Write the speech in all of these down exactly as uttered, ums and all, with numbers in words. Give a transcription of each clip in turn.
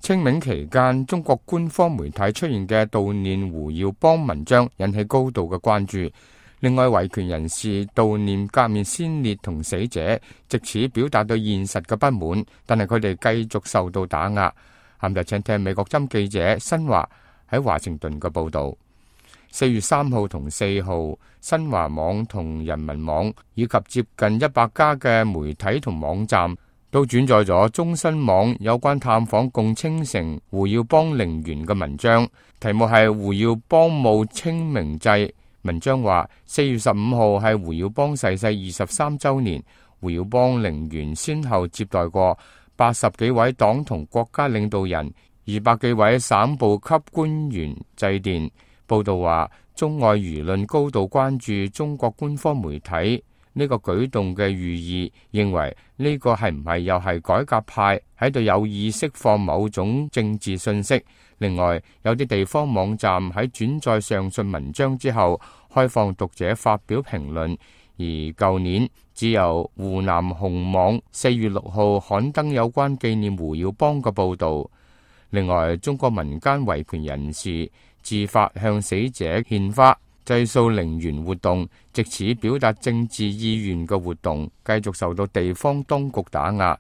清明期間，中國官方媒體出現嘅悼念胡耀邦文章引起高度嘅關注。另外，維權人士悼念革命先烈同死者，藉此表達對現實嘅不滿，但係佢哋繼續受到打壓。下面就請聽美國針記者新華喺華盛頓嘅報導。四月三號同四號，新華網同人民網以及接近一百家嘅媒體同網站都轉載咗中新網有關探訪共青城胡耀邦陵園嘅文章，題目係胡耀邦墓清明祭。文章話，四月十五號係胡耀邦逝世二十三週年，胡耀邦陵園先後接待過八十幾位黨同國家領導人、二百幾位省部級官員祭奠。報道話，中外輿論高度關注中國官方媒體呢個舉動嘅寓意，認為呢個係唔係又係改革派喺度有意釋放某種政治信息。另外，有啲地方網站喺轉載上述文章之後，開放讀者發表評論，而舊年只有湖南紅網四月六號刊登有關紀念胡耀邦嘅報導。另外，中國民間維權人士自發向死者獻花、祭掃陵園活動，藉此表達政治意願嘅活動，繼續受到地方當局打壓。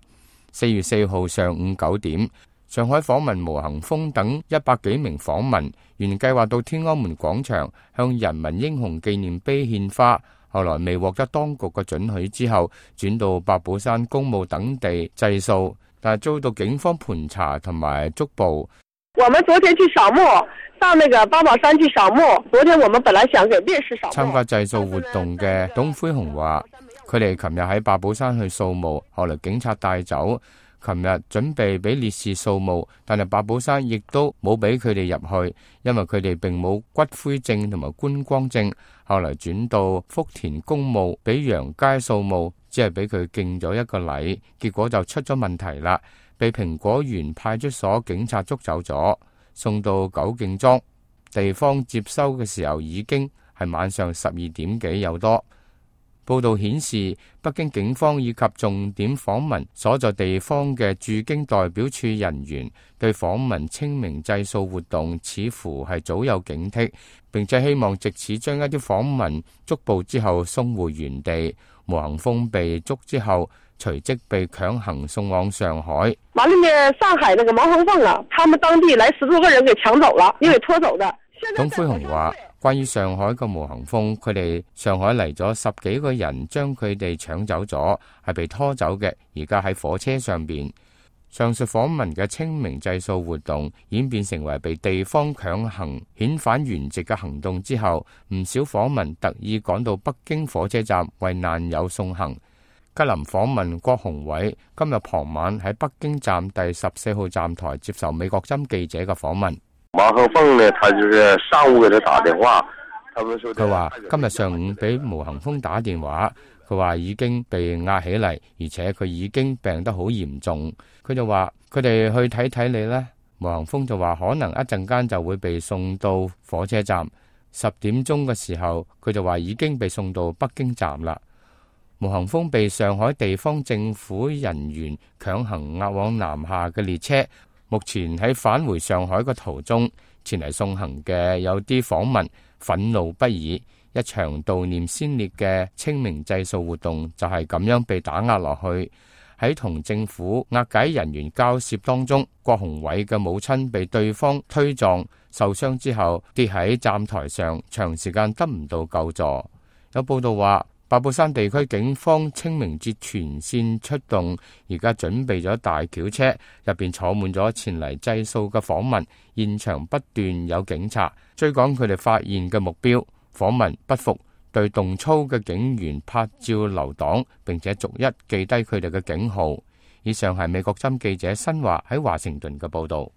四月四號上午九點，上海訪問毛恒峰等一百幾名訪民，原計劃到天安門廣場向人民英雄紀念碑獻花，後來未獲得當局嘅准許之後，轉到八寶山公墓等地祭掃，但係遭到警方盤查同埋捉捕。我們昨天去掃墓，上那個八寶山去掃墓。昨天我們本來想給烈士掃墓。參加祭掃活動嘅董輝雄話，佢哋琴日喺八寶山去掃墓，後來警察帶走。琴日準備俾烈士掃墓，但係八寶山亦都冇俾佢哋入去，因為佢哋並冇骨灰證同埋觀光證。後來轉到福田公墓俾楊佳掃墓，只係俾佢敬咗一個禮，結果就出咗問題啦。被蘋果園派出所警察捉走咗，送到九敬莊地方接收嘅時候已經係晚上十二點幾有多。報道顯示，北京警方以及重點訪問所在地方嘅駐京代表處人員對訪問清明祭掃活動似乎係早有警惕，並且希望藉此將一啲訪問捉捕之後送回原地。毛恒峰被捉之後，隨即被強行送往上海。完了呢，上海那個毛恒峰啊，他們當地來十多個人給搶走了，因為拖走的。董輝雄話，關於上海嘅毛恒峰，佢哋上海嚟咗十幾個人，將佢哋搶走咗，係被拖走嘅，而家喺火車上邊。上述訪問嘅清明祭掃活動演變成為被地方強行遣返原籍嘅行動之後，唔少訪民特意趕到北京火車站為難友送行。吉林訪問郭鴻偉今日傍晚喺北京站第十四號站台接受美國針記者嘅訪問。毛恒峰呢，他就是上午給他打電話，佢話今日上午俾毛恒峰打電話，佢話已經被押起嚟，而且佢已經病得好嚴重。佢就話佢哋去睇睇你呢。毛恒峰就話可能一陣間就會被送到火車站。十點鐘嘅時候，佢就話已經被送到北京站啦。毛恒峰被上海地方政府人員強行押往南下嘅列車，目前喺返回上海嘅途中。前嚟送行嘅有啲訪民憤怒不已，一場悼念先烈嘅清明祭掃活動就係咁樣被打壓落去。喺同政府押解人員交涉當中，郭鴻偉嘅母親被對方推撞受傷之後跌喺站台上，長時間得唔到救助。有報道話，八寶山地區警方清明節全線出動，而家準備咗大轎車，入邊坐滿咗前嚟祭掃嘅訪民，現場不斷有警察追趕佢哋發現嘅目標。訪民不服，對動粗嘅警員拍照留檔，並且逐一記低佢哋嘅警號。以上係美國針記者新華喺華盛頓嘅報道。